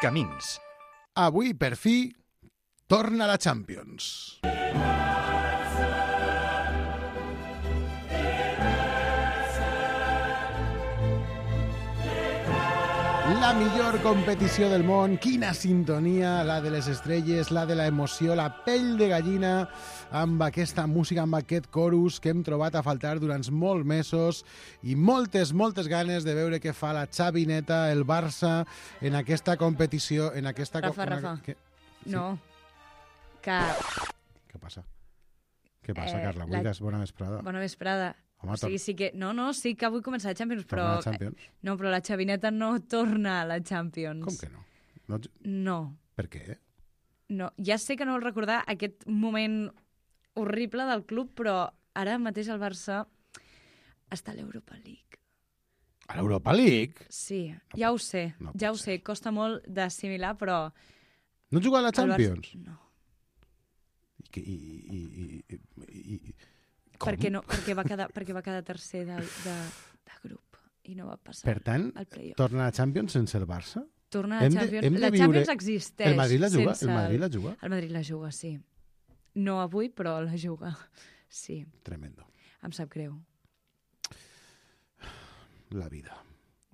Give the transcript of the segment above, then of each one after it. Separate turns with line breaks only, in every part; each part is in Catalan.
Camins.
Avui, per fi, torna la Champions. La millor competició del món, quina sintonia, la de les estrelles, la de la emoció, la pell de gallina, amb aquesta música, amb aquest chorus que hem trobat a faltar durant molts mesos i moltes ganes de veure què fa la Xavineta, el Barça, en aquesta competició, en aquesta...
Rafa. No. Que...
Què passa? Què passa, Carla? Bona vesprada.
Bona vesprada.
Home,
sí que... sí que avui comença la Champions, però...
Torna la Champions?
No, però la Xavineta no torna a la Champions.
Com que no?
No.
Per què?
No, ja sé que no vol recordar aquest moment horrible del club, però ara mateix el Barça està a l'Europa League.
A l'Europa League?
Sí, ja ho sé, costa molt d'assimilar, però...
No juga a la Champions?
No.
Com?
Perquè va quedar tercer de grup i no va passar.
Per tant, torna a la Champions sense el Barça?
Torna a la Champions. La Champions existeix.
El Madrid la juga? El
Madrid la juga, sí. No avui, però la juga. Sí.
Tremendo.
Em sap greu.
La vida.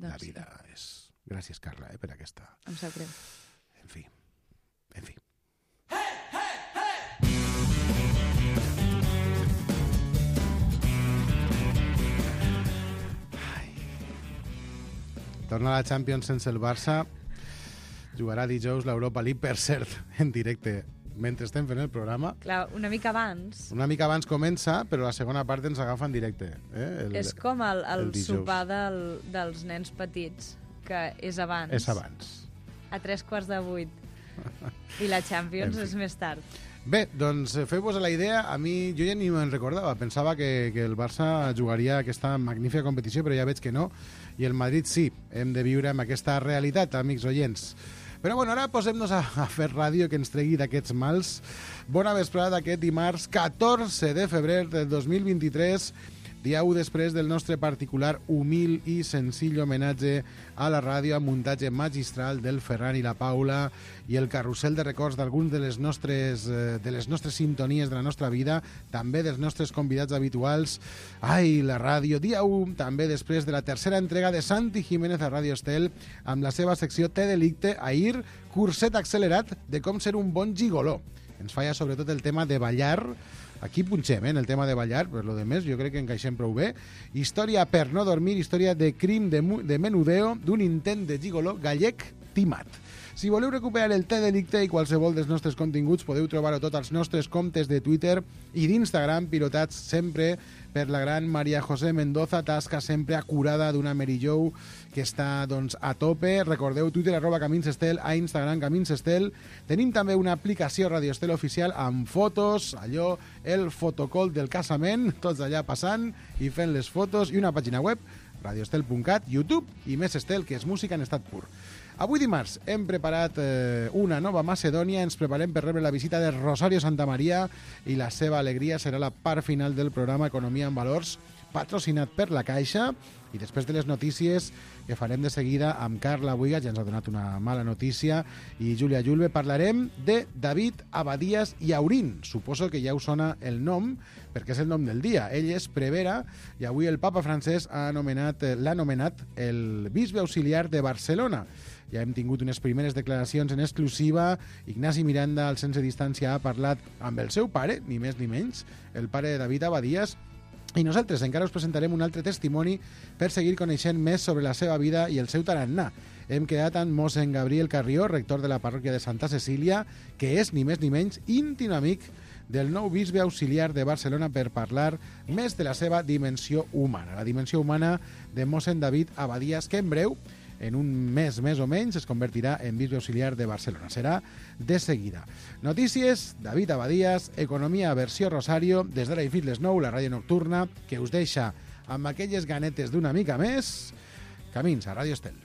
La vida és... Gràcies, Carla, per aquesta...
Em sap greu.
En fi. Torna a la Champions sense el Barça. Jugarà dijous l'Europa League, per cert, en directe, mentre estem fent el programa.
Clar, una mica abans.
Una mica abans comença, però la segona part ens agafa en directe.
És com el sopar dels nens petits, que és abans.
És abans.
A 7:45. I la Champions és més tard.
Bé, doncs feu-vos la idea. A mi, jo ja ni me'n recordava. Pensava que el Barça jugaria aquesta magnífica competició, però ja veig que no. I el Madrid sí. Hem de viure amb aquesta realitat, amics oients. Però bueno, ara posem-nos a fer ràdio que ens tregui d'aquests mals. Bona vesprada d'aquest dimarts 14 de febrer del 2023, dia 1 després del nostre particular, humil i senzill homenatge a la ràdio amb muntatge magistral del Ferran i la Paula i el carrusel de records d'alguns de les nostres sintonies de la nostra vida, també dels nostres convidats habituals. Ai, la ràdio, dia 1, també després de la tercera entrega de Santi Jiménez a Ràdio Estel, amb la seva secció Té Delicte, ahir, curset accelerat de com ser un bon gigoló. Ens falla sobretot el tema de ballar. Aquí punxem, en el tema de ballar, per lo de més, jo crec que encaixem prou bé. Història per no dormir, història de crim de menudeo, d'un intent de gigoló gallec timat. Si voleu recuperar el Té Delicte i qualsevol dels nostres continguts, podeu trobar-ho tot als nostres comptes de Twitter i d'Instagram, pilotats sempre per la gran Maria José Mendoza, tasca sempre acurada d'una Mary Jo que està doncs, a tope. Recordeu, Twitter @CaminsEstel, a Instagram CaminsEstel. Tenim també una aplicació Radio Estel oficial amb fotos, allò, el fotocall del casament, tots allà passant i fent les fotos, i una pàgina web, radioestel.cat, YouTube i Més Estel, que és música en estat pur. Avui dimarts hem preparat una nova Macedònia, ens preparem per rebre la visita de Rosario Santamaria i la seva alegria serà la part final del programa Economia en Valors, patrocinat per la Caixa, i després de les notícies que farem de seguida amb Carla Buiga, ja ens ha donat una mala notícia, i Júlia Julve, parlarem de David Abadías i Aurín. Suposo que ja us sona el nom, perquè és el nom del dia. Ell és prevere i avui el papa francès l'ha anomenat el bisbe auxiliar de Barcelona. Ja hem tingut unes primeres declaracions en exclusiva. Ignasi Miranda, al Sense Distància, ha parlat amb el seu pare, ni més ni menys, el pare de David Abadías, i nosaltres encara us presentarem un altre testimoni per seguir coneixent més sobre la seva vida i el seu tarannà. Hem quedat amb mossèn Gabriel Carrió, rector de la parròquia de Santa Cecília, que és, ni més ni menys, íntim amic del nou bisbe auxiliar de Barcelona, per parlar més de la seva dimensió humana. La dimensió humana de mossèn David Abadías, que en breu, en un mes més o menys, es convertirà en bisbe auxiliar de Barcelona. Serà de seguida. Notícies, David Abadías, economia versió Rosario, des d'ara i fins les 9, la ràdio nocturna, que us deixa amb aquelles ganetes d'una mica més. Camins a Ràdio Estel.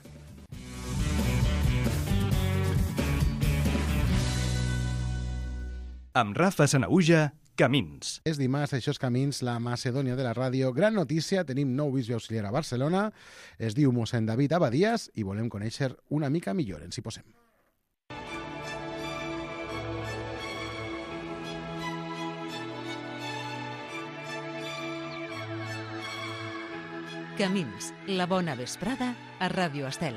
Amb Rafa Sanaüja, Camins.
És dimarts, això és Camins, la Macedònia de la ràdio. Gran notícia, tenim nou bisbe auxiliar a Barcelona, es diu mossèn David Abadías i volem conèixer una mica millor. Ens hi posem.
Camins, la bona vesprada a Ràdio Estel.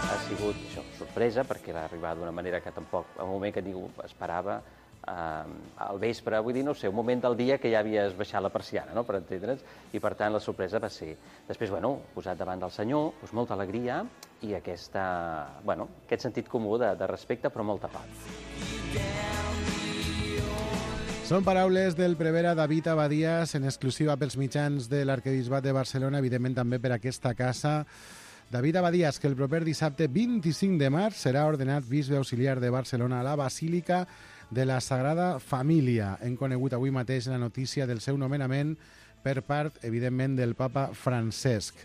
Ha sigut això, sorpresa, perquè va arribar d'una manera que tampoc, en un moment que ningú esperava, al vespre, vull dir, no sé, un moment del dia que ja havies baixat la persiana, no?, per entendre'ns, i per tant la sorpresa va ser... Després, bueno, posat davant del senyor, doncs molta alegria i aquest sentit comú de respecte, però molta pau.
Són paraules del prevere David Abadías, en exclusiva pels mitjans de l'Arquebisbat de Barcelona, evidentment també per aquesta casa. David Abadías, que el proper dissabte 25 de març serà ordenat bisbe auxiliar de Barcelona a la Basílica de la Sagrada Família. Hem conegut avui mateix la notícia del seu nomenament per part, evidentment, del papa Francesc.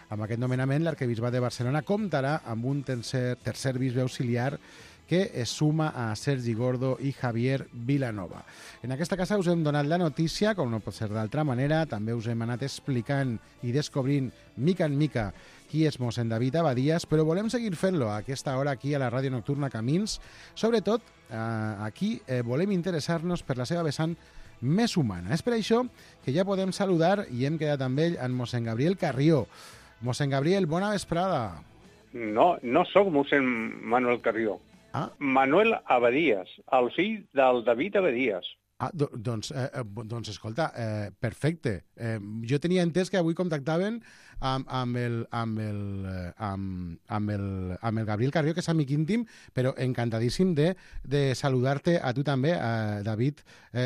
Amb aquest nomenament, l'Arquebisbat de Barcelona comptarà amb un tercer bisbe auxiliar que es suma a Sergi Gordo i Javier Vilanova. En aquesta casa us hem donat la notícia, com no pot ser d'altra manera, també us hem anat explicant i descobrint mica en mica qui és mossèn David Abadías, però volem seguir fent-lo a aquesta hora aquí a la Ràdio Nocturna Camins. Sobretot, aquí volem interessar-nos per la seva vessant més humana. És per això que ja podem saludar, i hem quedat amb ell, en mossèn Gabriel Carrió. Mossèn Gabriel, bona vesprada.
No sóc mossèn Manuel Carrió.
Ah.
Manuel Abadías, el fill del David Abadías.
Doncs escolta, perfecte. Jo tenia entès que avui contactaven amb el Gabriel Carrió, que és amic íntim, però encantadíssim de saludar-te a tu també, David.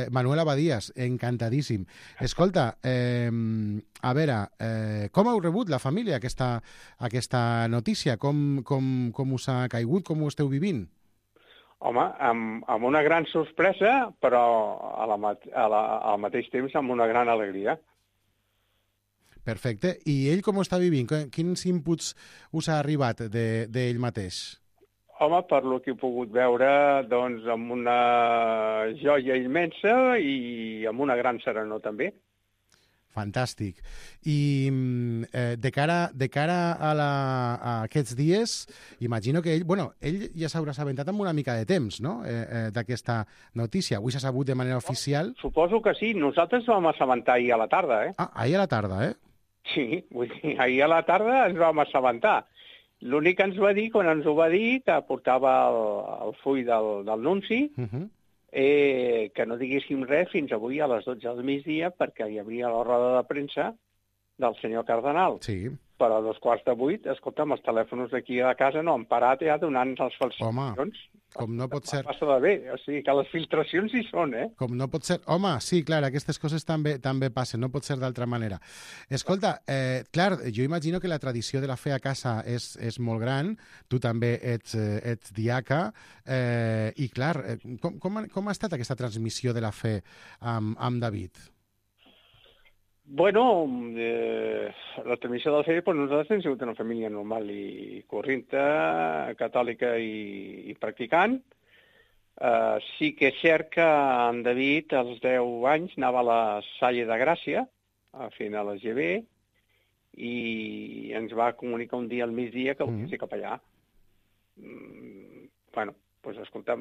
Manuel Abadías, encantadíssim. Escolta, a veure, com heu rebut la família aquesta notícia? Com us ha caigut? Com ho esteu vivint?
Home, amb una gran sorpresa, però al mateix temps amb una gran alegria.
Perfecte. I ell com ho està vivint? Quins inputs us ha arribat d'ell mateix?
Home, per lo que he pogut veure, doncs, amb una joia immensa i amb una gran serenor també.
Fantàstic. I de cara a aquests dies, imagino que ell ja s'haurà assabentat amb una mica de temps, no?, d'aquesta notícia. Avui s'ha sabut de manera oficial.
Suposo que sí. Nosaltres vam assabentar ahir a la tarda, eh?
Ah, ahir a la tarda, eh?
Sí, vull dir, ahir a la tarda ens vam assabentar. L'únic que ens va dir, quan ens ho va dir, que portava el full del nunci, que no diguéssim res fins avui a les 12 del migdia, perquè hi havia la roda de premsa del senyor cardenal.
Sí.
Però a 7:45, escolta'm, els telèfons d'aquí a casa no han parat ja donant les falsificacions.
Home, com no pot ser...
Passa de bé, o sigui que les filtracions hi són, eh?
Com no pot ser... Home, sí, clar, aquestes coses també passen, no pot ser d'altra manera. Escolta, clar, jo imagino que la tradició de la fe a casa és molt gran, tu també ets diaca, i clar, com ha estat aquesta transmissió de la fe amb David?
Bueno, la transmissió de la fe, nosaltres hem sigut una família normal i corrente, catòlica i practicant. Sí que és cert que en David, als 10 anys, anava a la Salle de Gràcia, fent a la GB, i ens va comunicar un dia al migdia que volia ser capellà. Bueno, doncs escolta,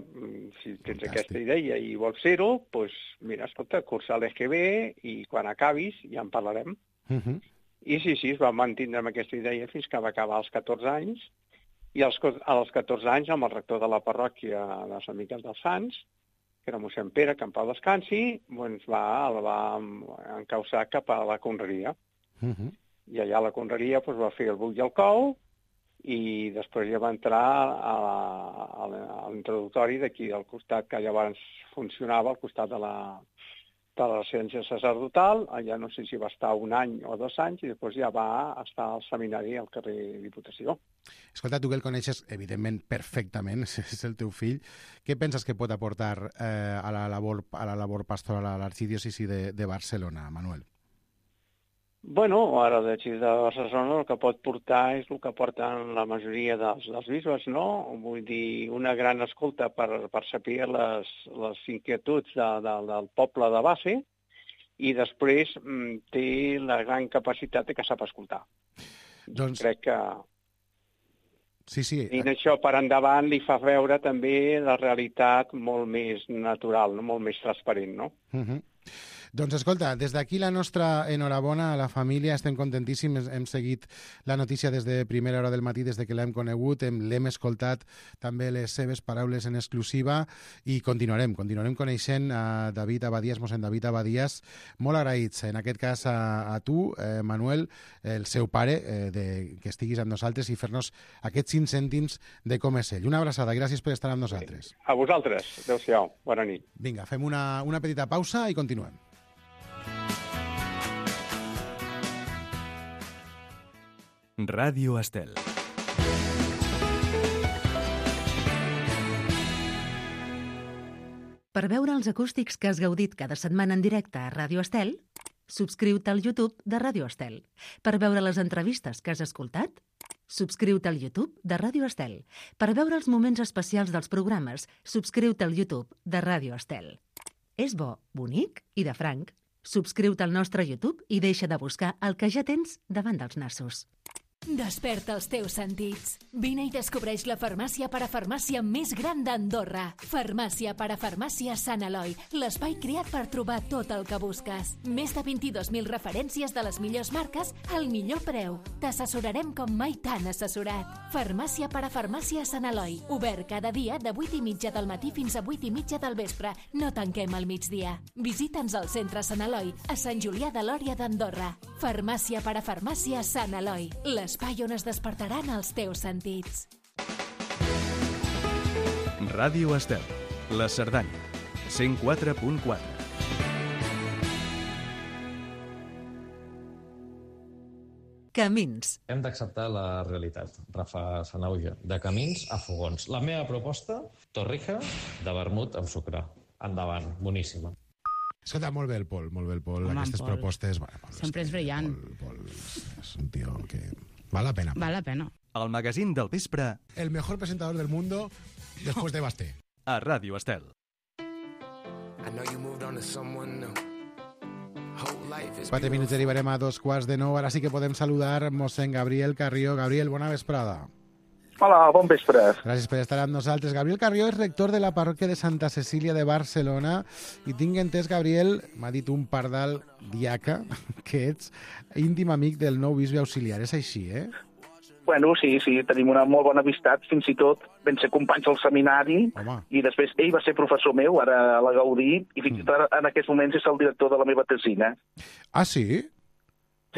si tens aquesta idea i vols ser-ho, doncs mira, escolta, cursa l'EGB i quan acabis ja en parlarem. I sí, es va mantindre amb aquesta idea fins que va acabar als 14 anys, i als 14 anys, amb el rector de la parròquia de Sant Miquel dels Sants, que era mossèn Pere, que en pau descansi, el va encausar cap a la conreria. I allà a la conreria va fer el buc i el cou, i després ja va entrar a l'introductori d'aquí al costat, que llavors funcionava al costat de la residència sacerdotal. Allà no sé si va estar 1 any o 2 anys, i després ja va estar al seminari al carrer Diputació.
Escolta, tu que el coneixes, evidentment, perfectament, és el teu fill. Què penses que pot aportar a la labor pastoral a l'arxidiòcesi de Barcelona, Manuel?
Bueno, ara de Barcelona el que pot portar és el que porten la majoria dels bisbes, no? Vull dir, una gran escolta per saber les inquietuds del poble de base, i després té la gran capacitat que sap escoltar.
Doncs...
Crec que...
Sí.
I això per endavant li fa veure també la realitat molt més natural, no? Molt més transparent, no?
Doncs escolta, des d'aquí la nostra enhorabona a la família, estem contentíssims, hem seguit la notícia des de primera hora del matí, des de que l'hem conegut, l'hem escoltat també les seves paraules en exclusiva i continuarem coneixent a David Abadías, mossèn David Abadías, molt agraïts, en aquest cas a tu, Manuel, el seu pare, que estiguis amb nosaltres i fer-nos aquests 5 cèntims de com és ell. Una abraçada, gràcies per estar amb nosaltres.
A vosaltres, adéu-siau, bona nit.
Vinga, fem una petita pausa i continuem.
Ràdio Estel.
Per veure els acústics que has gaudit cada setmana en directe a Ràdio Estel, subscriu-te al YouTube de Ràdio Estel. Per veure les entrevistes que has escoltat, subscriu-te al YouTube de Ràdio Estel. Per veure els moments especials dels programes, subscriu-te al YouTube de Ràdio Estel. És bo, bonic i de franc. Subscriu-te al nostre YouTube i deixa de buscar el que ja tens davant dels nassos.
Desperta els teus sentits. Vine i descobreix la farmàcia parafarmàcia més gran d'Andorra. Farmàcia parafarmàcia Sant Eloi, l'espai creat per trobar tot el que busques. Més de 22.000 referències de les millors marques al millor preu. T'assessorarem com mai t'han assessorat. Farmàcia parafarmàcia Sant Eloi, obert cada dia de 8:30 del matí fins a 8:30 del vespre. No tanquem al migdia. Visita'ns al centre Sant Eloi, a Sant Julià de Lòria d'Andorra. Farmàcia parafarmàcia Sant Eloi, l'espai on es despertaran els teus sentits.
Ràdio Estel, la Cerdanya, 104.4.
Camins.
Hem d'acceptar la realitat, Rafa Sanauja, de camins a fogons. La meva proposta, torrija de vermut amb sucre. Endavant, boníssima.
Escolta, molt bé el Pol,
Home,
aquestes
Pol.
propostes...
Sempre és brillant.
Pol és un tio que... Val la pena.
Val la pena.
El magazín del vespre
El mejor presentador del mundo después de Basté.
a Ràdio Estel.
Quatre minuts arribarem a 2:15. Ara sí que podem saludar mossèn Gabriel Carrió. Gabriel, bona vesprada.
Hola, bon vespre.
Gràcies per estar amb nosaltres. Gabriel Carrió és rector de la parròquia de Santa Cecília de Barcelona i tinc entès, Gabriel, m'ha dit un pardal diaca, que ets íntim amic del nou bisbe auxiliar. És així, eh?
Bueno, sí, tenim una molt bona amistat, fins i tot vam ser companys al seminari.
Home.
I després ell va ser professor meu, ara a la Gaudí, i fins i tot en aquests moments és el director de la meva tesina.
Ah, sí?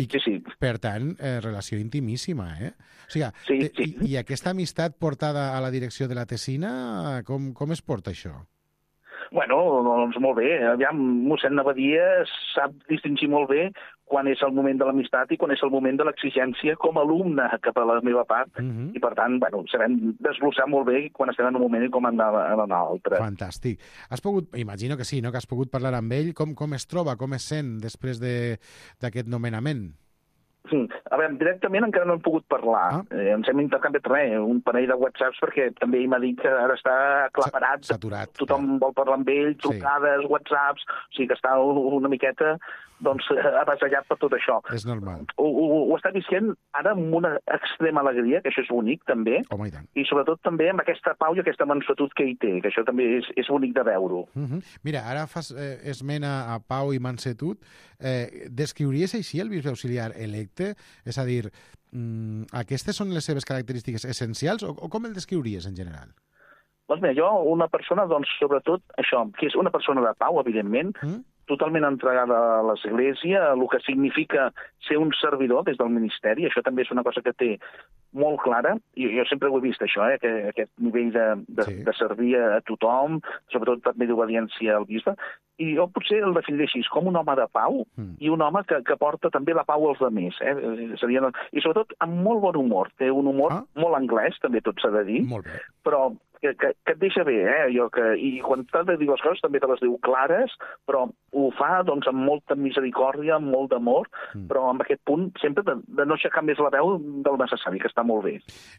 Sí.
Per tant, relació intimíssima, eh? O sigui,
Sí.
I aquesta amistat portada a la direcció de la tesina, com es porta això?
Bueno, doncs molt bé. Aviam, mossèn Abadías sap distingir molt bé quan és el moment de l'amistat i quan és el moment de l'exigència com a alumne cap a la meva part. I per tant, bueno, sabem desglossar molt bé quan estem en un moment i com en l'altre.
Fantàstic. Has pogut, imagino que sí, no?, que has pogut parlar amb ell. Com es troba, com es sent després d'aquest nomenament?
A veure, directament encara no hem pogut parlar. Ens hem intercanviat un parell de whatsapps perquè també ell m'ha dit que ara està aclaparat.
Saturat.
Tothom vol parlar amb ell, trucades, whatsapps, o sigui que està una miqueta avasallat per tot això.
És normal.
Ho està visquent ara amb una extrema alegria, que això és bonic també,
Home, i tant.
i sobretot també amb aquesta pau i aquesta mansuetud que ell té, que això també és bonic de veure-ho.
Mira, ara fas esment a pau i mansetud. Descriuries així el bisbe auxiliar electe? És a dir, aquestes són les seves característiques essencials o com el descriuries en general?
Doncs mira, jo, una persona, doncs, sobretot això, que és una persona de pau, evidentment, totalment entregada a l'Església, el que significa ser un servidor des del ministeri, això també és una cosa que té molt clara, i jo sempre ho he vist, això, aquest nivell de servir a tothom, sobretot també d'obediència al bisbe, i jo potser el definiré així, com un home de pau i un home que porta també la pau als altres. I sobretot amb molt bon humor. Té un humor molt anglès, també tot s'ha de dir, però et deixa bé, i quan t'ha de dir les coses també te les diu clares, però ho fa doncs, amb molta misericòrdia, amb molt d'amor, però amb aquest punt sempre de no aixecar més la veu del necessari, que està molt bé.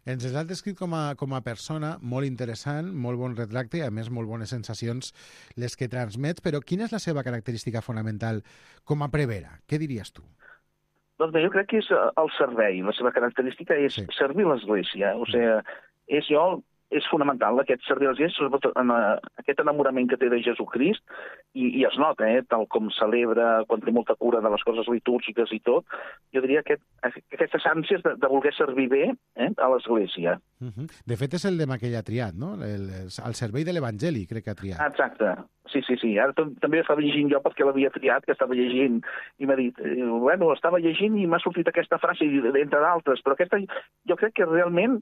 Ens has descrit com a persona molt interessant, molt bon retracte i, a més, molt bones sensacions les que transmets, però quina és la seva característica fonamental com a prevera? Què diries tu?
Doncs bé, jo crec que és el servei. La seva característica és servir l'Església. O sigui, és fonamental aquest servir a l'Església, sobretot en aquest enamorament que té de Jesucrist, i es nota, tal com celebra, quan té molta cura de les coses litúrgiques i tot, jo diria que aquestes ànsies de voler servir bé a l'Església.
De fet, és el lema que ella ha triat, no? Al servei de l'Evangeli, crec que ha triat.
Exacte. Sí. Ara també estava llegint jo perquè l'havia triat, que estava llegint, i m'ha dit, estava llegint i m'ha sortit aquesta frase, entre d'altres, però aquesta jo crec que realment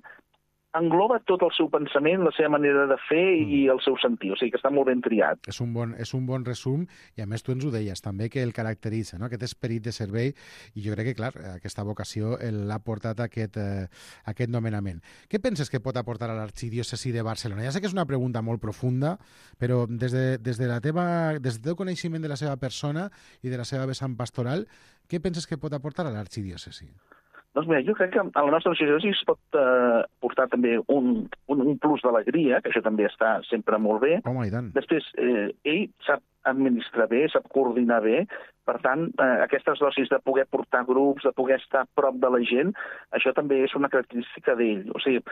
engloba tot el seu pensament, la seva manera de fer i el seu sentir. O sigui que està molt ben triat.
És un bon resum, i a més tu ens ho deies també, que el caracteritza, no? Aquest esperit de servei, i jo crec que, clar, aquesta vocació l'ha portat a aquest nomenament. Què penses que pot aportar a l'arxidiòcesi de Barcelona? Ja sé que és una pregunta molt profunda, però des del teu coneixement de la seva persona i de la seva vessant pastoral, què penses que pot aportar a l'arxidiòcesi?
Doncs mira, jo crec que a la nostra arxidiòcesi es pot portar també un plus d'alegria, que això també està sempre molt bé.
Home, i tant.
Després, ell sap administrar bé, sap coordinar bé, per tant, aquestes dosis de poder portar grups, de poder estar a prop de la gent, això també és una característica d'ell. O sigui,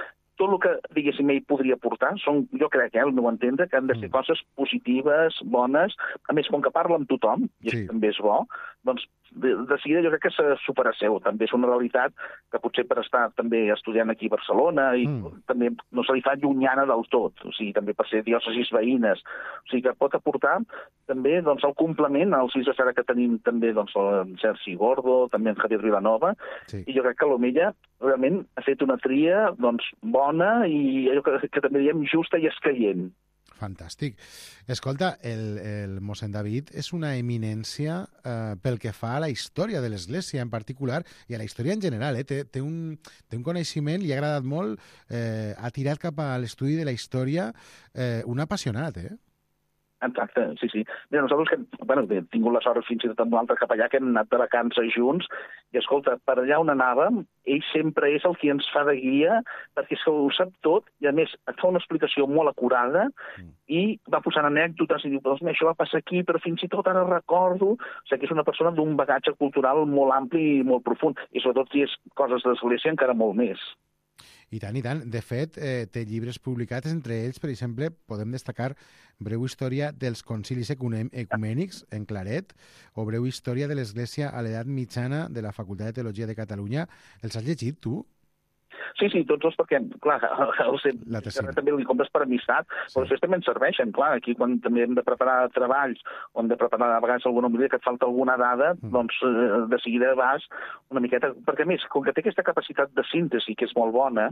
tot el que, diguéssim, ell podria portar, jo crec, al meu entendre, que han de ser coses positives, bones, a més, com que parla amb tothom, i això també és bo, doncs, de seguida jo crec que se supera seu. També és una realitat que potser per estar també estudiant aquí a Barcelona i també no se li fa llunyana del tot, o sigui, també per ser diòcesis veïnes. O sigui, que pot aportar també doncs, el complement als fills de Sara que tenim també doncs, el Sergi Gordo, també en Javier Vilanova, i jo crec que l'Omella realment ha fet una tria doncs, bona i allò que també diem justa i escaient.
Fantàstic. Escolta, el mossèn David és una eminència pel que fa a la història de l'Església en particular i a la història en general. Té un coneixement, li ha agradat molt, ha tirat cap a l'estudi de la història, un apassionat,
Exacte, sí. Mira, nosaltres que hem tingut la sort fins i tot amb l'altre capellà que hem anat de vacances junts i, escolta, per allà on anàvem, ell sempre és el que ens fa de guia perquè és que ho sap tot i, a més, et fa una explicació molt acurada i va posant anècdotes i diu, doncs això va passar aquí, però fins i tot ara recordo. O sigui que és una persona d'un bagatge cultural molt ampli i molt profund i, sobretot, si és coses d'església, encara molt més.
I tant, i tant. De fet, té llibres publicats, entre ells, per exemple, podem destacar Breu història dels concilis ecumènics, en claret, o Breu història de l'Església a l'edat mitjana de la Facultat de Teologia de Catalunya. Els has llegit, tu?
Sí, tots dos, perquè, clar, també li compres per amistat, però després també ens serveixen, clar, aquí quan també hem de preparar treballs, o hem de preparar a vegades alguna homilia que et falta alguna dada, doncs de seguida vas una miqueta, perquè a més, com que té aquesta capacitat de síntesi, que és molt bona,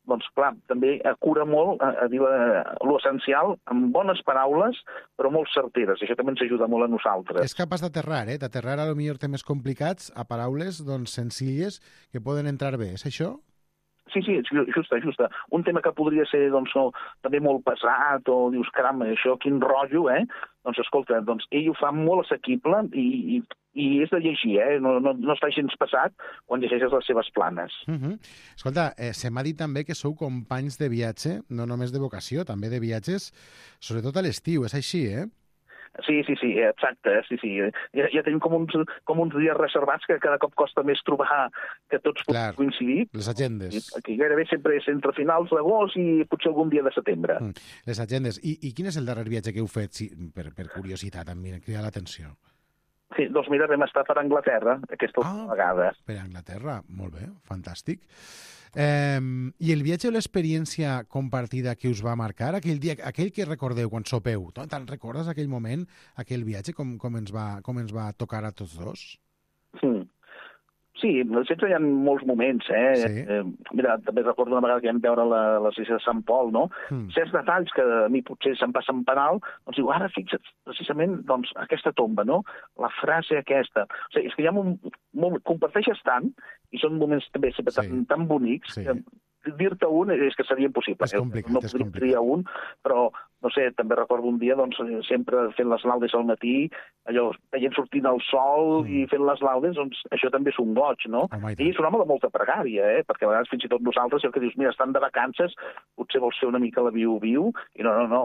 doncs clar, també cura molt a dir l'essencial amb bones paraules, però molt certeres, i això també ens ajuda molt a nosaltres.
És capaç d'aterrar, d'aterrar a lo millor temes complicats a paraules doncs senzilles que poden entrar bé, és això?
Sí, justa. Un tema que podria ser doncs, també molt pesat, o dius, caram, això, quin rotllo, Doncs, escolta, ell ho fa molt assequible i és de llegir, no està gens pesat quan llegeixes les seves planes.
Escolta, se m'ha dit també que sou companys de viatge, no només de vocació, també de viatges, sobretot a l'estiu, és així,
Sí, exacte, sí. Ja tenim com uns dies reservats que cada cop costa més trobar que tots puguin coincidir.
Les agendes.
Aquí gairebé sempre és entre finals d'agost i potser algun dia de setembre.
Les agendes. I quin és el darrer viatge que heu fet? Sí, per curiositat, em crida l'atenció.
Sí, doncs mira, vam estar per Anglaterra aquesta vegada.
Per Anglaterra, molt bé, fantàstic. I el viatge o l'experiència compartida que us va marcar, aquell que recordeu quan sopeu, te'n recordes aquell moment, aquell viatge, com ens va tocar a tots dos?
Sí, sempre hi ha molts moments, Mira, també recordo una vegada que vam veure l'església de Sant Pol, no? Certs detalls que a mi potser se'm passen per alt, doncs diu, ara fixa't, precisament, doncs, aquesta tomba, no? La frase aquesta. O sigui, és que hi ha comparteixes tant, i són moments també sempre tan bonics, dir-te un és que seria impossible.
És complicat,
no podria triar un, però, no sé, també recordo un dia, doncs, sempre fent les laudes al matí, allò, veient sortint el sol i fent les laudes, doncs, això també és un goig, no? I és un home de molta pregària, perquè a vegades fins i tot nosaltres, el que dius, mira, estan de vacances, potser vols fer una mica la viu-viu, i no,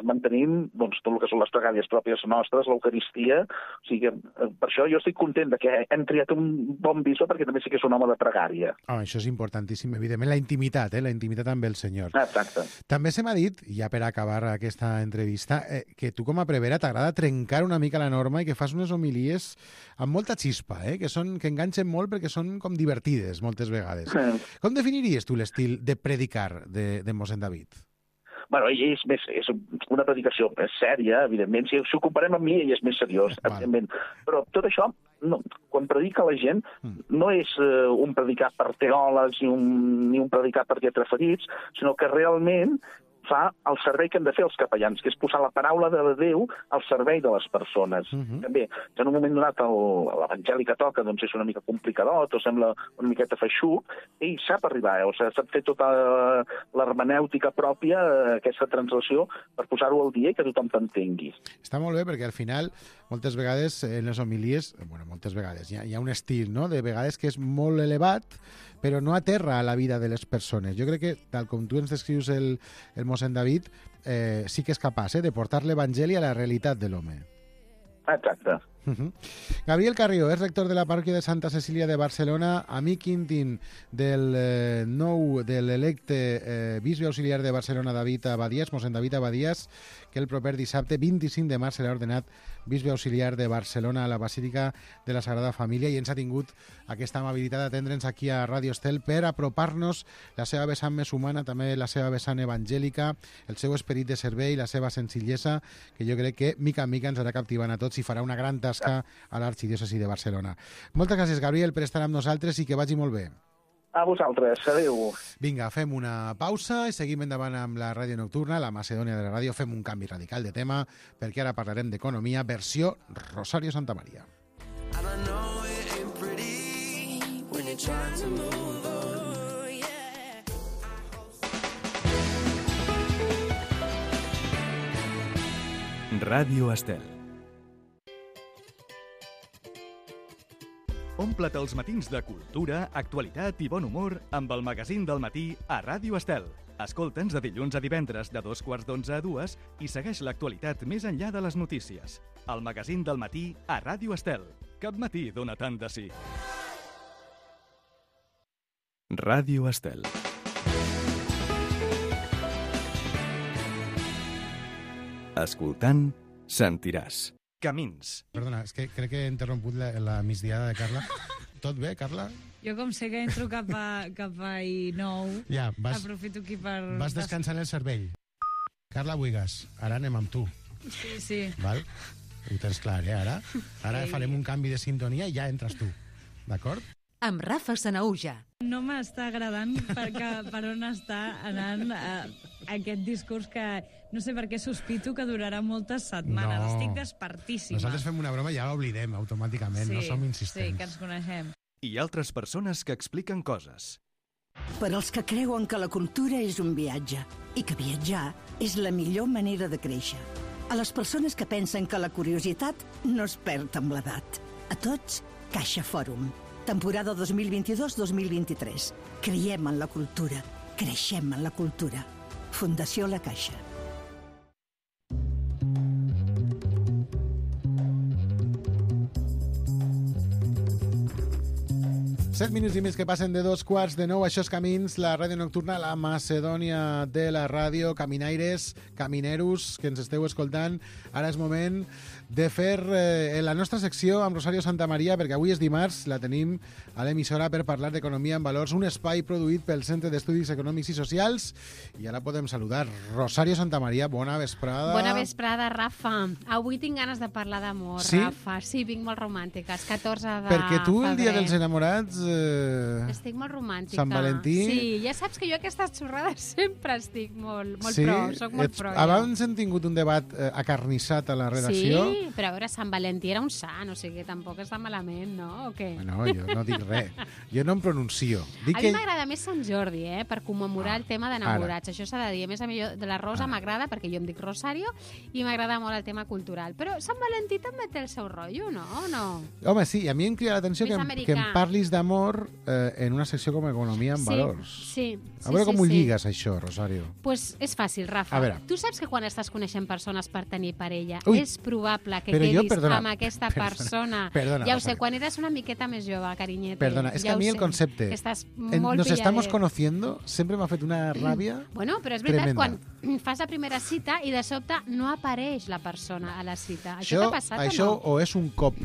mantenim, doncs, tot el que són les pregàries pròpies nostres, l'Eucaristia, o sigui, per això jo estic content que hem triat un bon bisbe, perquè també sí que és un home de pregària.
Això és importantíssim, evidentment, la intimitat amb el Senyor.
Exacte.
També se m'ha dit, ja per acabar aquesta entrevista, que tu com a prevera t'agrada trencar una mica la norma i que fas unes homilies amb molta xispa, que enganxen molt perquè són com divertides moltes vegades. Com definiries tu l'estil de predicar de mossèn David?
Bueno, ell és una predicació sèria, evidentment. Si ho comparem amb mi, ell és més seriós, evidentment. Però tot això, quan predica la gent, no és un predicar per teòlegs ni un predicar per lletraferits, sinó que realment fa el servei que hem de fer els capellans, que és posar la paraula de Déu al servei de les persones. També, si en un moment donat l'evangeli que toca doncs és una mica complicadot o sembla una miqueta feixuc, ell sap arribar, sap fer tota l'hermenèutica pròpia, aquesta translació, per posar-ho al dia i que tothom t'entengui.
Està molt bé perquè al final, moltes vegades en les homilies, moltes vegades, hi ha un estil, no?, de vegades que és molt elevat, però no aterra a la vida de les persones. Jo crec que, tal com tu ens descrius el mossèn David, sí que és capaç de portar l'Evangeli a la realitat de l'home.
Exacte.
Gabriel Carrió és rector de la parròquia de Santa Cecília de Barcelona, amic íntim de l'electe bisbe auxiliar de Barcelona, David Abadías, mossèn David Abadías, que el proper dissabte 25 de març serà ordenat bisbe auxiliar de Barcelona a la Basílica de la Sagrada Família, i ens ha tingut aquesta amabilitat d'atendre'ns aquí a Ràdio Estel per apropar-nos la seva vessant més humana, també la seva vessant evangèlica, el seu esperit de servei, la seva senzillesa, que jo crec que mica en mica ens anirà captivant a tots i farà una gran tasca a l'arxidiòcesi de Barcelona. Moltes gràcies, Gabriel, per estar amb nosaltres i que vagi molt bé.
A vosaltres, adéu.
Vinga, fem una pausa i seguim endavant amb la ràdio nocturna, la Macedònia de la ràdio. Fem un canvi radical de tema, perquè ara parlarem d'economia, versió Rosario Santamaría.
Ràdio Estel. Ompla't els matins de cultura, actualitat i bon humor amb el magazín del matí a Ràdio Estel. Escolta'ns de dilluns a divendres de 2:45 a 2 i segueix l'actualitat més enllà de les notícies. El magazín del matí a Ràdio Estel. Cap matí dona tant de sí. Ràdio Estel. Escoltant, sentiràs. Camins.
Perdona, és que crec que he interromput la migdiada de Carla. Tot bé, Carla?
Jo com sé que entro cap a I9,
ja,
aprofito aquí per...
Vas descansant el cervell. Carla Buigas, ara anem amb tu.
Sí.
Val? Ho tens clar, Ara farem un canvi de sintonia i ja entres tu. D'acord?
Amb Rafa Sanaúja.
No m'està agradant per on està anant aquest discurs que no sé per què sospito que durarà moltes setmanes.
No.
Estic despertíssima.
Nosaltres fem una broma i ja l'oblidem automàticament, no som insistents.
Sí, que ens coneixem.
I altres persones que expliquen coses.
Per als que creuen que la cultura és un viatge i que viatjar és la millor manera de créixer. A les persones que pensen que la curiositat no es perd amb l'edat. A tots, Caixa Fòrum. Temporada 2022-2023. Creiem en la cultura. Creixem en la cultura. Fundació La Caixa.
Set minuts i més que passen de 2:45. Això és Camins, la ràdio nocturna, la Macedònia de la ràdio. Caminaires, camineros, que ens esteu escoltant. Ara és moment de fer la nostra secció amb Rosario Santamaría, perquè avui és dimarts, la tenim a l'emissora per parlar d'economia en valors, un espai produït pel Centre d'Estudis Econòmics i Socials. I ara podem saludar Rosario Santamaría. Bona vesprada.
Bona vesprada, Rafa. Avui tinc ganes de parlar d'amor,
sí?
Rafa. Sí, vinc molt romàntica. És 14 de
perquè tu,
febrer.
el dia dels enamorats,
Estic molt romàntica.
Sant Valentí...
Sí, ja saps que jo aquestes xorrades sempre estic molt
sí?
pro, soc molt pro.
Abans hem tingut un debat acarnissat a la redacció.
Sí, però a veure, Sant Valentí era un sant, o sigui que tampoc està malament, no? O què?
No, jo no dic res. Jo no em pronuncio.
A mi m'agrada més Sant Jordi, per commemorar el tema d'enamorats. Això s'ha de dir. A més, a mi de la Rosa m'agrada, perquè jo em dic Rosario, i m'agrada molt el tema cultural. Però Sant Valentí també té el seu rotllo, no? O no?
Home, sí, a mi em crida l'atenció que em parlis d'amor en una secció com Economia en Valors.
Sí.
A veure com ho lligues, això, Rosario.
Pues és fàcil, Rafa. Tu saps que quan estàs coneixent persones per tenir parella, és probable que quedis amb aquesta persona.
Perdona,
ja ho sé, quan eres una miqueta més jove, carinyete.
Perdona, és que a mi el concepte nos estamos conociendo sempre m'ha fet una ràbia
Bueno, però és veritat, quan fas la primera cita i de sobte no apareix la persona a la cita. Això t'ha passat o no?
Això o és un cop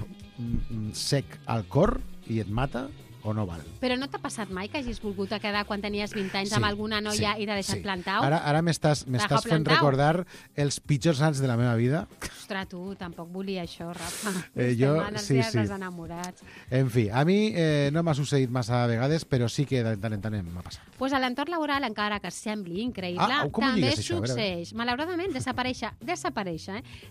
sec al cor i et mata, o no val.
Però no t'ha passat mai que hagis volgut quedar quan tenies 20 anys amb alguna noia i t'ha deixat plantau?
Ara m'estàs fent recordar els pitjors anys de la meva vida.
Ostres, tu, tampoc volia això, Rafa.
Jo, sí.
Enamorats.
En fi, a mi no m'ha succeït massa vegades, però sí que de tant en tant m'ha passat.
Pues a l'entorn laboral, encara que sembli increïble, també succeeix. Malauradament, desaparèixer,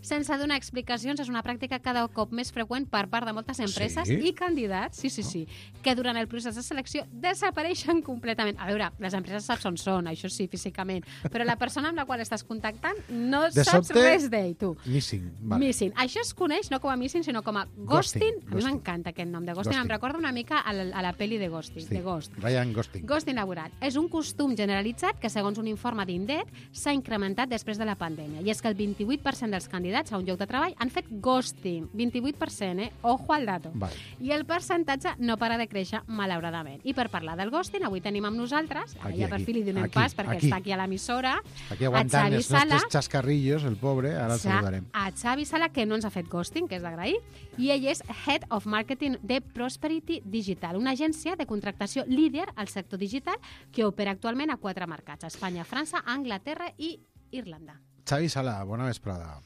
sense donar explicacions és una pràctica cada cop més freqüent per part de moltes empreses i candidats, sí, que durant el procés de selecció desapareixen completament. A veure, les empreses saps on són, això sí, físicament, però la persona amb la qual estàs contactant no saps res d'ell, tu.
Missing, vale.
Missing. Això es coneix no com a missing, sinó com a ghosting. A mi m'encanta aquest nom de ghosting. Em recorda una mica a la pel·li de Ghosting, de Ghost.
Ryan Gosling.
Ghosting laboral. És un costum generalitzat que, segons un informe d'Indeed, s'ha incrementat després de la pandèmia. I és que el 28% dels candidats a un lloc de treball han fet ghosting. 28%, Ojo al dato.
Vale.
I el percentatge no para de créixer, malauradament. I per parlar del ghosting, avui tenim amb nosaltres, ja per fi li donem pas, perquè està aquí a l'emissora,
aquí aguantant els nostres xascarrillos, el pobre, ara el saludarem.
A Xavi Sala, que no ens ha fet ghosting, que és d'agrair, i ell és Head of Marketing de Prosperity Digital, una agència de contractació líder al sector digital que opera actualment a 4 mercats, Espanya, França, Anglaterra i Irlanda.
Xavi Sala, bona vesprada.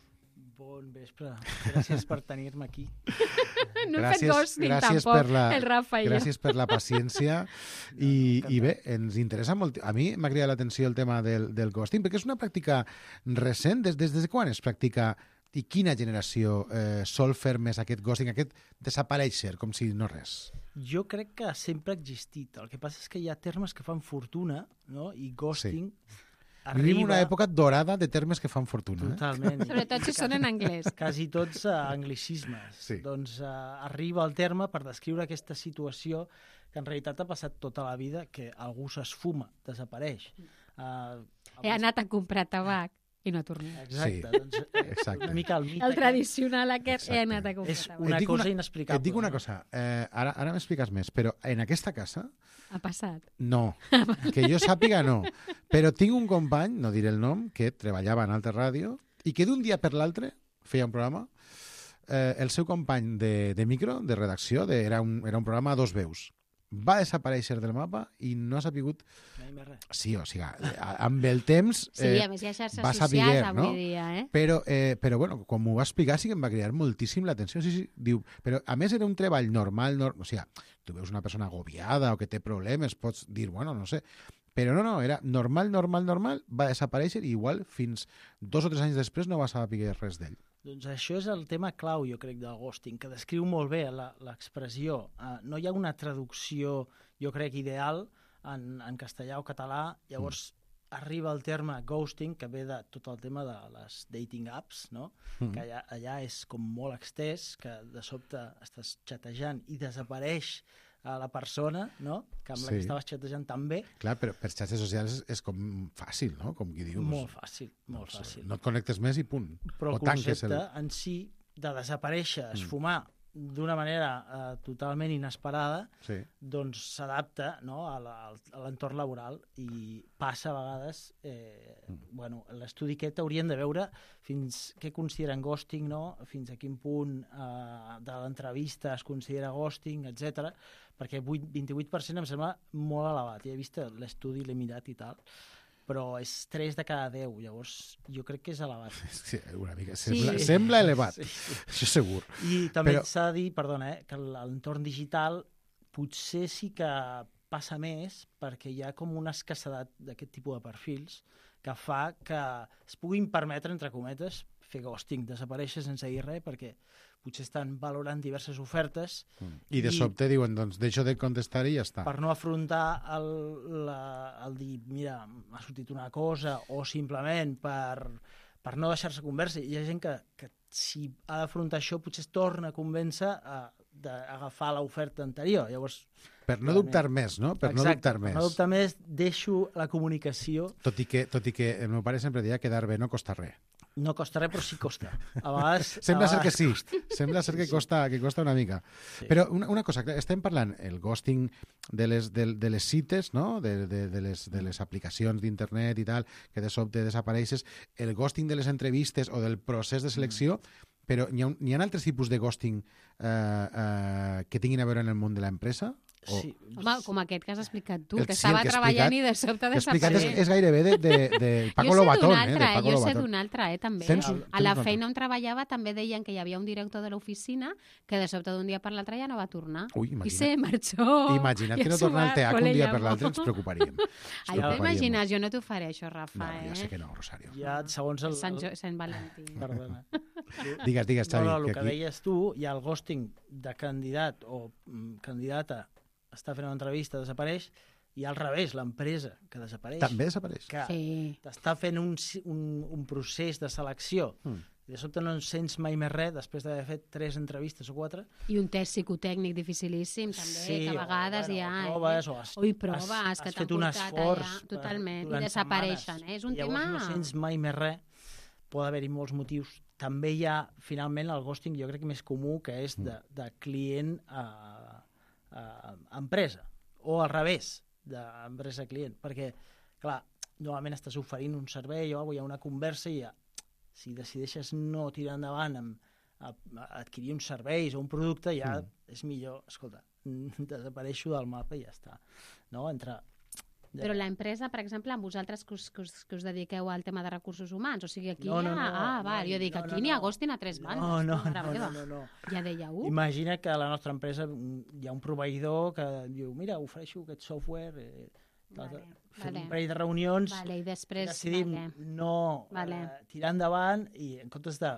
Bon vespre. Gràcies per tenir-me aquí.
No he fet ghosting tampoc, el Rafa i jo.
Gràcies per la paciència. I bé, ens interessa molt. A mi m'ha cridat l'atenció el tema del ghosting, perquè és una pràctica recent. Des de quan es practica i quina generació sol fer més aquest ghosting, aquest desaparèixer, com si no res?
Jo crec que sempre ha existit. El que passa és que hi ha termes que fan fortuna, no? I ghosting... Sí.
Vivim una època dorada de termes que fan fortuna.
Totalment.
Sobretot si són en anglès.
Quasi tots anglicismes.
Sí.
Doncs arriba el terme per descriure aquesta situació que en realitat ha passat tota la vida, que algú s'esfuma, desapareix.
He anat a comprar tabac i no tornat.
Exacte.
Sí.
Doncs,
exacte.
Una mica el mite.
El tradicional aquest, he anat a comprar tabac.
És una cosa inexplicable.
Et dic una cosa, ara m'expliques més, però en aquesta casa...
Ha passat?
No, que jo sàpiga no. Però tinc un company, no diré el nom, que treballava en Alta Ràdio i que d'un dia per l'altre feia un programa, el seu company de micro, de redacció, era un programa a 2 veus. Va desaparèixer del mapa i no ha sapigut... Sí, o sigui, amb el temps
a més hi ha xarxes socials avui dia,
Però bueno, com ho va explicar, sí que em va cridar moltíssim l'atenció. Sí, diu, però a més era un treball normal, o sigui, tu veus una persona agobiada o que té problemes, pots dir, bueno, no sé, però no, era normal, va desaparèixer i igual fins 2 o 3 anys després no va saber res d'ell.
Doncs això és el tema clau, jo crec, del ghosting, que descriu molt bé l'expressió. No hi ha una traducció, jo crec, ideal en castellà o català, llavors arriba el terme ghosting, que ve de tot el tema de les dating apps, no? Que allà és com molt extès, que de sobte estàs xatejant i desapareix la persona, no? Que amb la que estaves xatejant també.
Clar, però per xarxes socials és com fàcil, no? Com qui dius.
Molt fàcil, molt fàcil.
No et connectes més i punt.
Però el concepte en si de desaparèixer, esfumar, d'una manera totalment inesperada, doncs s'adapta, no, a l'entorn laboral i passa a vegades... Bueno, l'estudi aquest haurien de veure fins què consideren ghosting, no? Fins a quin punt de l'entrevista es considera ghosting, etc. Perquè 28% em sembla molt elevat. Ja he vist l'estudi, l'he mirat i tal, però és 3 de cada 10, llavors jo crec que és elevat.
Sí, una mica. Sembla elevat, això segur.
I també s'ha de dir, perdona, que l'entorn digital potser sí que passa més perquè hi ha com una escassedat d'aquest tipus de perfils que fa que es puguin permetre, entre cometes, fer ghosting, desaparèixer sense dir res, perquè potser estan valorant diverses ofertes.
I de sobte diuen, doncs, deixo de contestar i ja està.
Per no afrontar el dir, mira, m'ha sortit una cosa, o simplement per no deixar-se convèncer. Hi ha gent que si ha d'afrontar això potser es torna a convèncer d'agafar l'oferta anterior. Llavors,
per no dubtar més, no? Per no dubtar més.
Per no dubtar més, deixo la comunicació.
Tot i que el meu pare sempre deia que quedar bé no costa res.
No costa res, però sí costa. A vegades...
Sembla ser que sí. Sembla ser que costa una mica. Sí. Però una cosa, estem parlant el ghosting de les cites, no? de les aplicacions d'internet i tal, que de sobte desapareixes, el ghosting de les entrevistes o del procés de selecció, però hi ha altres tipus de ghosting que tinguin a veure en el món de l'empresa?
Sí. Home, com aquest que has explicat tu, que estava treballant i de sobte desapareix.
És gairebé de Paco Lobatón.
Jo sé d'un altre, també. A la feina on treballava també deien que hi havia un director de l'oficina que de sobte d'un dia per l'altre ja no va tornar. I se marxó.
Imagina't que no torna al teatre un dia per l'altre, ens preocuparíem.
Ai, t'imagines, jo no t'ho faré, això, Rafa.
No, ja sé que no, Rosario.
Ja, segons el...
Sant Valentí.
Perdona.
Digues, Xavi.
No, el que deies tu, hi ha el ghosting de candidat o candidata està fent una entrevista, desapareix, i al revés, l'empresa que desapareix.
També desapareix.
Que està fent un procés de selecció. I de sobte no en sents mai més res després d'haver fet 3 entrevistes o 4.
I un test psicotècnic dificilíssim, també, que a vegades hi ha...
Proves,
proves que t'han portat allà, totalment, i desapareixen. És un tema...
Llavors no sents mai més res. Pot haver-hi molts motius. També hi ha, finalment, el ghosting, jo crec que més comú, que és de client a empresa, o al revés, d'empresa a client, perquè, clar, normalment estàs oferint un servei o hi ha una conversa i si decideixes no tirar endavant a adquirir uns serveis o un producte, ja és millor, escolta, desapareixo del mapa i ja està. No?
Però l'empresa, per exemple, amb vosaltres que us dediqueu al tema de recursos humans, o sigui, aquí
jo
dic, aquí n'hi ha ghosting a 3 bandes.
No.
Ja dèieu.
Imagina que a la nostra empresa hi ha un proveïdor que diu, mira, ofereixo aquest software, fem un parell de reunions,
i després
decidim no tirar endavant i en comptes de,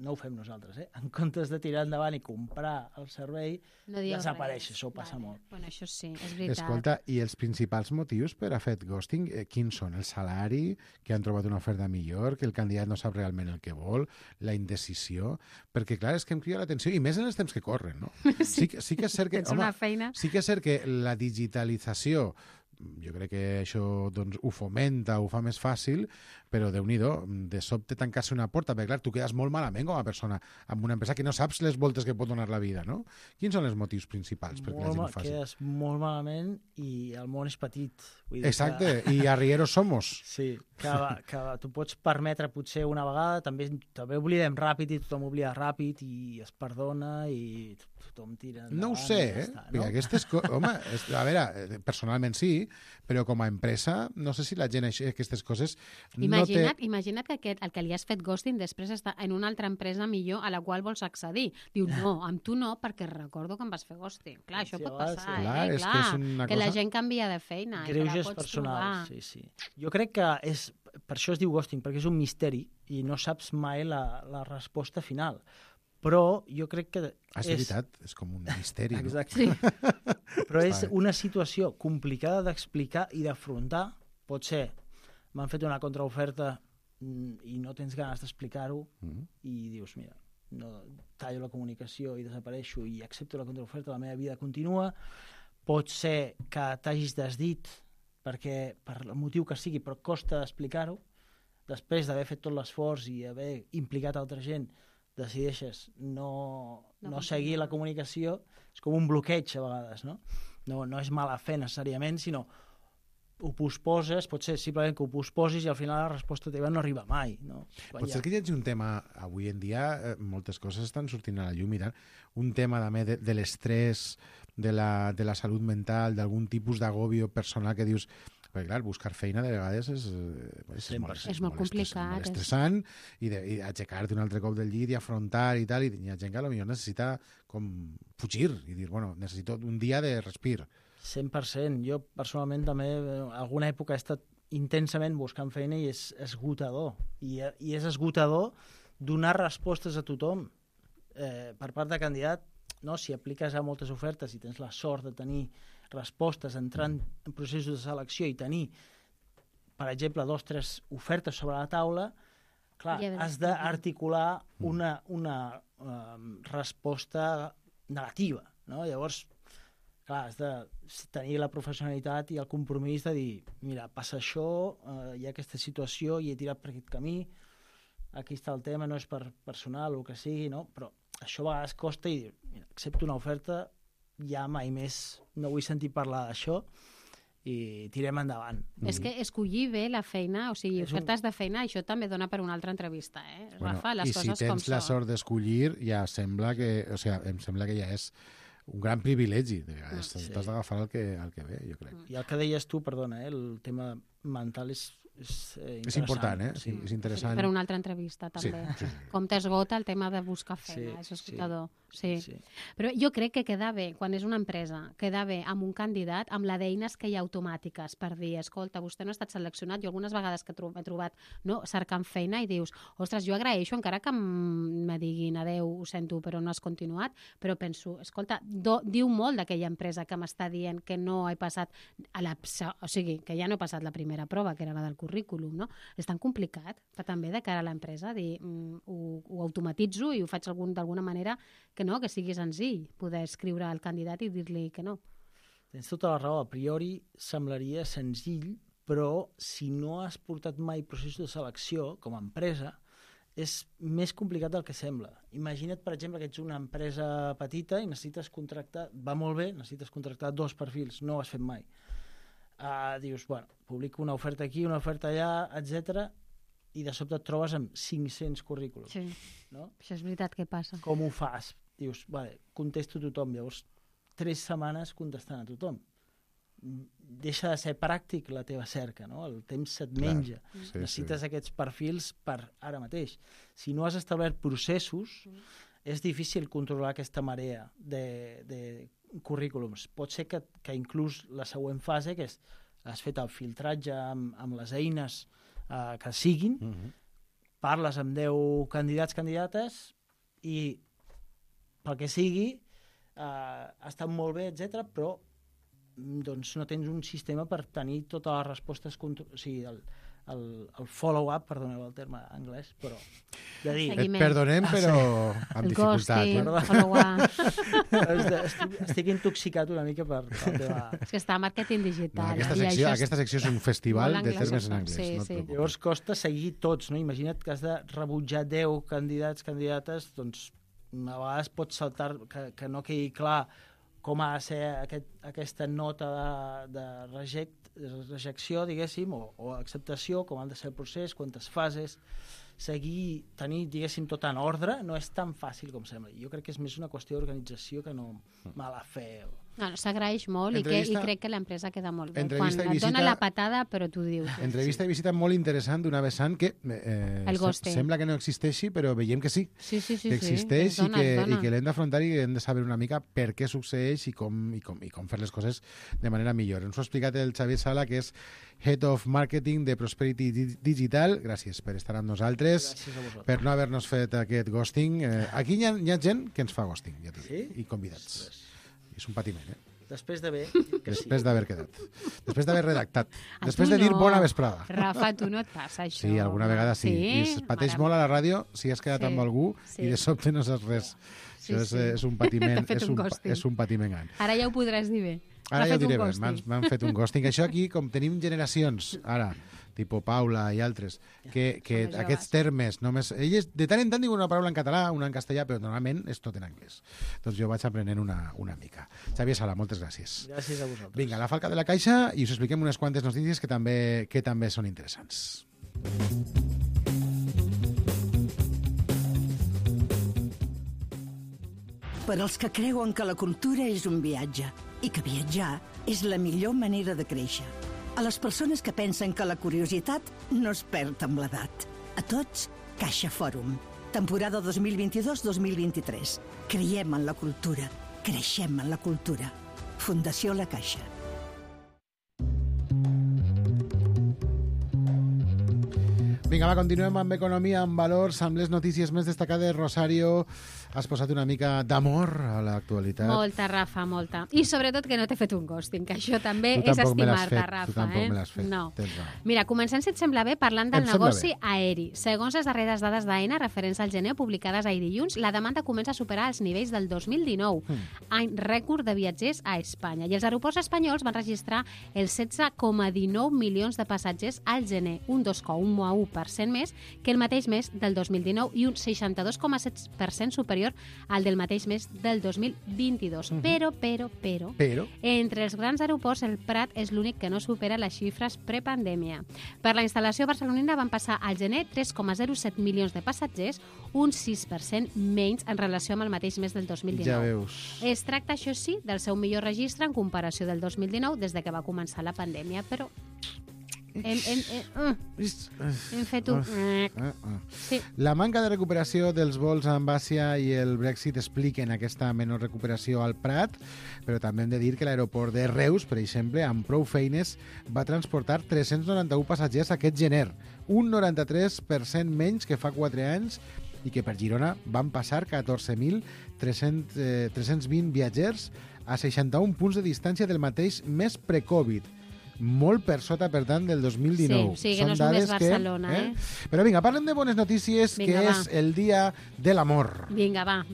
no ho fem nosaltres, en comptes de tirar endavant i comprar el servei, desapareix, això passa molt.
Bueno, això sí, és veritat.
Escolta, i els principals motius per a fet ghosting, quins són? El salari, que han trobat una oferta millor, que el candidat no sap realment el que vol, la indecisió, perquè clar, és que em crida l'atenció, i més en els temps que corren, no? Sí que és cert que, sí que és cert que la digitalització, jo crec que això doncs, ho fomenta, ho fa més fàcil, però Déu-n'hi-do, de sobte tancar-se una porta, perquè clar, tu quedes molt malament com a persona amb una empresa que no saps les voltes que pot donar la vida, no? Quins són els motius principals perquè la gent ho faci?
Quedes molt malament i el món és petit. Vull dir
exacte, i arrieros somos.
Sí, que tu pots permetre potser una vegada, també oblidem ràpid i tothom oblida ràpid i es perdona i tothom tira endavant.
No ho sé, no? Aquestes home, a veure, personalment sí, però com a empresa no sé si la gent aquestes coses
Imagina't que el que li has fet ghosting després està en una altra empresa millor a la qual vols accedir. Diu, no, amb tu no, perquè recordo que em vas fer ghosting. Clar, això pot passar, que la gent canvia de feina.
Greuges personals, sí. Jo crec que per això es diu ghosting, perquè és un misteri i no saps mai la resposta final. Però jo crec que
és veritat, és com un misteri.
Exacte. No? Però és una situació complicada d'explicar i d'afrontar. Pot ser, m'han fet una contraoferta i no tens ganes d'explicar-ho i dius, mira, no, tallo la comunicació i desapareixo i accepto la contraoferta, la meva vida continua. Pot ser que t'hagis desdit perquè per el motiu que sigui, però costa explicar-ho. Després d'haver fet tot l'esforç i haver implicat altra gent, decideixes no seguir la comunicació, és com un bloqueig a vegades, no? No és mala fe necessàriament, sinó ho posposes, pot ser simplement que ho posposis i al final la resposta teva no arriba mai. No?
Pot ser que hi hagi un tema, avui en dia moltes coses estan sortint a la llum i tant, un tema també de l'estrès, de la salut mental, d'algun tipus d'agobio personal que dius, Perquè, clar, buscar feina de vegades és
molt complicat.
Molt estressant, i aixecar-te un altre cop del llit i afrontar i tal, i hi ha gent que potser necessita com fugir i dir, bueno, necessito un dia de respir.
100%. Jo, personalment, també, alguna època he estat intensament buscant feina i és esgotador. I és esgotador donar respostes a tothom per part de candidat. No? Si apliques a moltes ofertes i tens la sort de tenir respostes, entrar en processos de selecció i tenir, per exemple, 2 o 3 ofertes sobre la taula, clar, has d'articular una resposta negativa. No? Llavors, clar, has de tenir la professionalitat i el compromís de dir, mira, passa això, hi ha aquesta situació i he tirat per aquest camí, aquí està el tema, no és per personal o el que sigui, no? Però això a vegades costa i dir, mira, accepto una oferta, ja mai més no vull sentir parlar d'això i tirem endavant.
És que escollir bé la feina, o sigui, ofertes de feina, això també dona per una altra entrevista, Rafa, les coses com són.
I si tens la sort d'escollir, ja sembla que, em sembla que ja és un gran privilegi, de vegades. T'has d'agafar el que ve, jo crec.
I el que deies tu, perdona, el tema mental és
important, sí. És interessant.
Per una altra entrevista, també. Sí. Com t'esgota el tema de buscar feina, és esgotador. Sí. Però jo crec que queda bé, quan és una empresa, queda bé amb un candidat, amb la d'eines que hi ha automàtiques per dir, escolta, vostè no ha estat seleccionat. Jo algunes vegades que he trobat cercant feina i dius, ostres, jo agraeixo encara que me diguin adeu, ho sento, però no has continuat, però penso, escolta, diu molt d'aquella empresa que m'està dient que no he passat o sigui, que ja no he passat la primera prova, que era la del currículum, no? És tan complicat, també de cara a l'empresa, dir, ho automatitzo i ho faig d'alguna manera que sigui senzill poder escriure al candidat i dir-li que no.
Tens tota la raó. A priori semblaria senzill, però si no has portat mai processos de selecció com a empresa, és més complicat del que sembla. Imagina't, per exemple, que ets una empresa petita i necessites contractar, va molt bé, necessites contractar 2 perfils, no ho has fet mai. Dius, bueno, publico una oferta aquí, una oferta allà, etc. I de sobte et trobes amb 500 currículums.
Sí,
no?
Això és veritat que passa.
Com ho fas? Dius, vale, contesto a tothom, llavors 3 setmanes contestant a tothom. Deixa de ser pràctic la teva cerca, no? El temps se't menja. Sí, necessites aquests perfils per ara mateix. Si no has establert processos, és difícil controlar aquesta marea de currículums. Pot ser que inclús la següent fase, que és has fet el filtratge amb les eines que siguin, parles amb 10 candidates i pel que sigui ha estat molt bé, etc, però doncs no tens un sistema per tenir totes les respostes, o sigui, el follow-up, perdoneu el terme anglès, però de dir...
Et perdonem, però amb dificultat.
Estic intoxicat una mica per el tema...
És que està a màrqueting digital.
Aquesta secció és un festival de termes en anglès.
Llavors costa seguir tots, no? Imagina't que has de rebutjar 10 candidates, doncs a vegades pots saltar, que no quedi clar com ha de ser aquesta nota de rejecció, diguéssim, o acceptació, com ha de ser el procés, quantes fases, tenir, diguéssim, tot en ordre, no és tan fàcil com sembla. Jo crec que és més una qüestió d'organització que no mala fe.
S'agraeix molt i crec que l'empresa queda molt bé. Quan et dona la patada, però tu dius.
Entrevista i visita molt interessant d'una vessant que sembla que no existeixi, però veiem que sí. Que existeix i que l'hem d'afrontar i hem de saber una mica per què succeeix i com fer les coses de manera millor. Ens ho ha explicat el Xavier Sala, que és Head of Marketing de Prosperity Digital. Gràcies per estar amb nosaltres, per no haver-nos fet aquest ghosting. Aquí hi ha gent que ens fa ghosting, ja t'ho dic, i convidats. És un patiment,
Després d'haver
quedat. Després d'haver redactat. Després de dir bona vesprada.
Rafa, tu no et passa això.
Sí, alguna vegada sí. I es pateix molt a la ràdio si has quedat amb algú i de sobte no saps res. Això és un patiment. És un patiment gran.
Ara ja ho podràs dir bé.
Ara ja ho diré bé. M'han fet un ghosting. Això aquí, com tenim generacions, ara, tipus Paula i altres, que aquests termes només... Elles de tant en tant diuen una paraula en català, una en castellà, però normalment és tot en anglès. Doncs jo vaig aprenent una mica. Xavier Sala, moltes gràcies.
Gràcies a vosaltres.
Vinga, la falca de la caixa i us expliquem unes quantes notícies que també són interessants.
Per als que creuen que la cultura és un viatge i que viatjar és la millor manera de créixer. A les persones que pensen que la curiositat no es perd amb l'edat. A tots, Caixa Fòrum. Temporada 2022-2023. Creiem en la cultura. Creixem en la cultura. Fundació La Caixa.
Vinga, va, continuem amb economia, amb valors, amb les notícies més destacades. Rosario, has posat una mica d'amor a l'actualitat.
Molta, Rafa, molta. I sobretot que no t'he fet un ghosting, que això també és estimar-te, Rafa.
Tu tampoc me l'has fet.
No. Mira, comencem, si et sembla bé, parlant del negoci aeri. Segons les darreres dades d'AENA referents al gener publicades ahir dilluns, la demanda comença a superar els nivells del 2019, any rècord de viatgers a Espanya. I els aeroports espanyols van registrar els 16,19 milions de passatgers al gener, un 2,1% més que el mateix mes del 2019 i un 62,7% superior al del mateix mes del 2022. Però, entre els grans aeroports, el Prat és l'únic que no supera les xifres prepandèmia. Per la instal·lació barcelonina van passar al gener 3,07 milions de passatgers, un 6% menys en relació amb el mateix mes del 2019.
Ja veus.
Es tracta, això sí, del seu millor registre en comparació del 2019 des de que va començar la pandèmia, però hem fet un... Sí.
La manca de recuperació dels vols amb Àsia i el Brexit expliquen aquesta menor recuperació al Prat, però també hem de dir que l'aeroport de Reus, per exemple, amb prou feines, va transportar 391 passatgers aquest gener, un 93% menys que fa 4 anys, i que per Girona van passar 14.320 viatgers a 61 punts de distància del mateix mes pre-Covid. Molt per sota, per tant, del 2019.
Sí, que no és només Barcelona,
Però vinga, parlem de bones notícies, que és el dia de l'amor.
Vinga, va.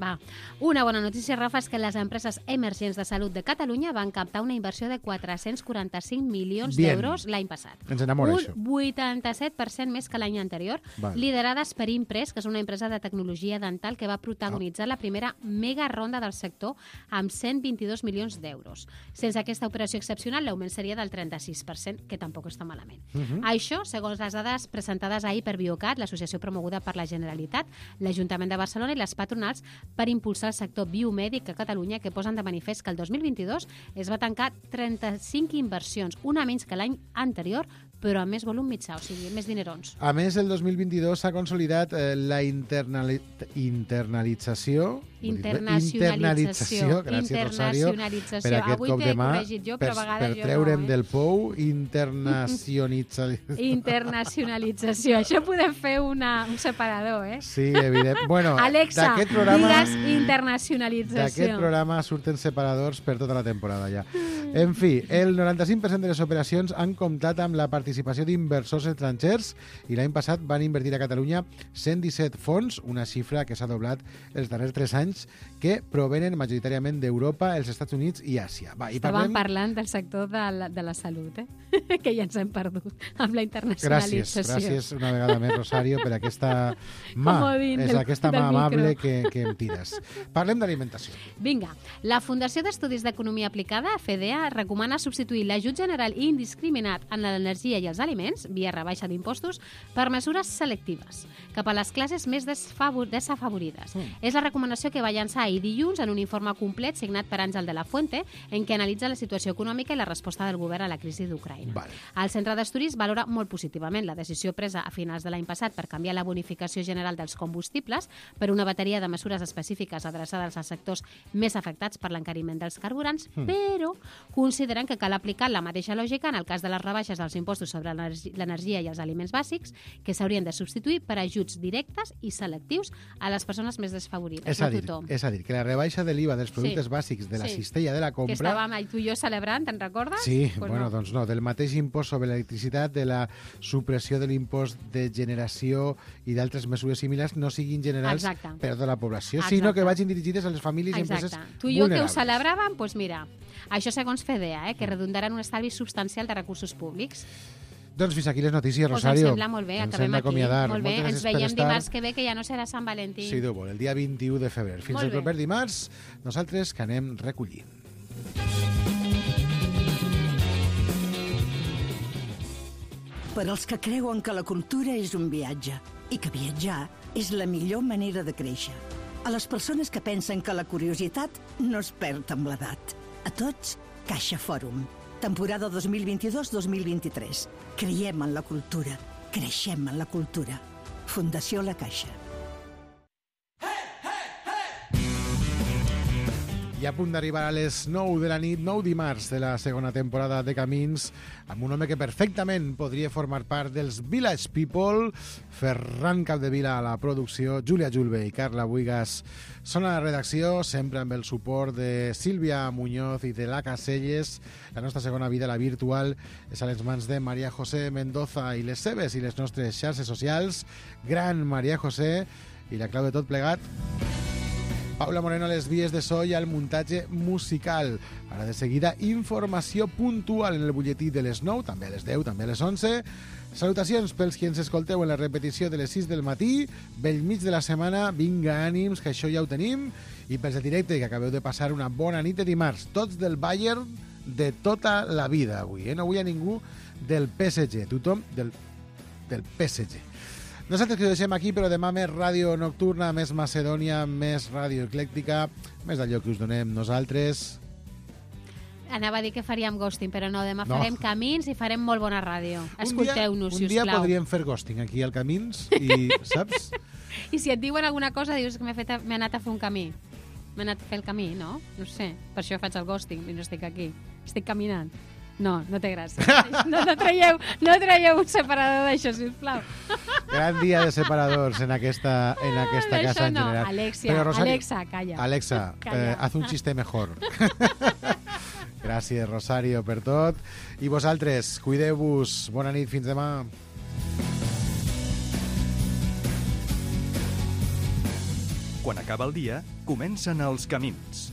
Una bona notícia, Rafa, és que les empreses emergents de salut de Catalunya van captar una inversió de 445 milions d'euros l'any passat.
Ens enamora, això.
Un 87% més que l'any anterior, liderades per Impress, que és una empresa de tecnologia dental que va protagonitzar la primera mega ronda del sector amb 122 milions d'euros. Sense aquesta operació excepcional, l'augment seria del 36%, que tampoc està malament. Això, segons les dades presentades ahir per Biocat, l'associació promoguda per la Generalitat, l'Ajuntament de Barcelona i les patronals per impulsar el sector biomèdic a Catalunya, que posen de manifest que el 2022 es va tancar 35 inversions, una menys que l'any anterior, però amb més volum mitjà, o sigui, més dinerons.
A més, el 2022 s'ha consolidat la internacionalització, gràcies, Rosario, per aquest cop de mà, per treure'm del pou,
internacionalització. Això podem fer un separador,
Sí, evident. Bueno,
Alexa, digues internacionalització.
D'aquest programa surten separadors per tota la temporada ja. En fi, el 95% de les operacions han comptat amb la participació d'inversors estrangers i l'any passat van invertir a Catalunya 117 fons, una xifra que s'ha doblat els darrers 3 anys, que provenen majoritàriament d'Europa, els Estats Units i Àsia.
Estàvem parlant del sector de la salut, que ja ens hem perdut amb la internacionalització.
Gràcies una vegada més, Rosario, per aquesta mà, aquesta mà amable que em tires. Parlem d'alimentació.
Vinga, la Fundació d'Estudis d'Economia Aplicada, FEDEA, recomana substituir l'ajut general i indiscriminat en l'energia i els aliments, via rebaixa d'impostos, per mesures selectives, cap a les classes més desafavorides. És la recomanació que va llançar ahir dilluns en un informe complet signat per Àngel de la Fuente, en què analitza la situació econòmica i la resposta del govern a la crisi d'Ucraïna. El Centre d'Estudis valora molt positivament la decisió presa a finals de l'any passat per canviar la bonificació general dels combustibles per una bateria de mesures específiques adreçades als sectors més afectats per l'encariment dels carburants, però consideren que cal aplicar la mateixa lògica en el cas de les rebaixes dels impostos sobre l'energia i els aliments bàsics, que s'haurien de substituir per ajuts directes i selectius a les persones més desfavorides.
És a dir, que la rebaixa de l'IVA dels productes bàsics de la cistella de la compra...
Que estàvem tu i jo celebrant, te'n recordes?
Sí, doncs no, del mateix impost sobre l'electricitat, de la supressió de l'impost de generació i d'altres mesures similars no siguin generals per a tota la població, sinó que vagin dirigides a les famílies i empreses vulnerables.
Tu i jo que ho celebràvem, doncs mira, això segons FEDEA, que redundarà en un estalvi substancial de recursos públics.
Doncs fins aquí les notícies, Rosario.
Ens sembla molt bé, acabem aquí. Molt bé, ens veiem dimarts que ve, que ja no serà Sant Valentí.
Si Déu vol, el dia 21 de febrer. Fins el proper dimarts, nosaltres que anem recollint.
Per als que creuen que la cultura és un viatge i que viatjar és la millor manera de créixer. A les persones que pensen que la curiositat no es perd amb l'edat. A tots, Caixa Fòrum. Temporada 2022-2023. Creiem en la cultura. Creixem en la cultura. Fundació La Caixa.
I a punt d'arribar a les 9 de la nit, 9 dimarts de la segona temporada de Camins, amb un home que perfectament podria formar part dels Village People, Ferran Capdevila a la producció, Júlia Julve i Carla Buigas són a la redacció, sempre amb el suport de Sílvia Muñoz i de la Caselles. La nostra segona vida, la virtual, és a les mans de Maria José Mendoza i les seves i les nostres xarxes socials. Gran Maria José, i la clau de tot plegat, Paula Moreno a les vies de so i al muntatge musical. Ara de seguida, informació puntual en el butlletí de les 9, també a les 10, també a les 11. Salutacions pels qui ens escolteu en la repetició de les 6 del matí. Bell mig de la setmana, vinga ànims, que això ja ho tenim. I pels de directe, que acabeu de passar una bona nit de dimarts. Tots del Bayern de tota la vida avui. No vull a ningú del PSG. Tothom del PSG. Nosaltres que ho deixem aquí, però demà més ràdio nocturna, més Macedònia, més ràdio eclèctica, més d'allò que us donem nosaltres.
Anava a dir que faríem ghosting, però no, demà farem Camins i farem molt bona ràdio. Escolteu-nos, si us plau.
Un dia podríem fer ghosting aquí al Camins i, saps?
I si et diuen alguna cosa, dius que m'he anat a fer un camí. M'he anat a fer el camí, no? No sé, per això faig el ghosting i no estic aquí. Estic caminant. No té gràcia. No traieu un separador d'això, sisplau.
Gran dia de separadors en aquesta casa en general.
Alexa, calla.
Alexa, haz un chiste mejor. Gràcies, Rosario, per tot. I vosaltres, cuideu-vos. Bona nit, fins demà.
Quan acaba el dia, comencen els camins.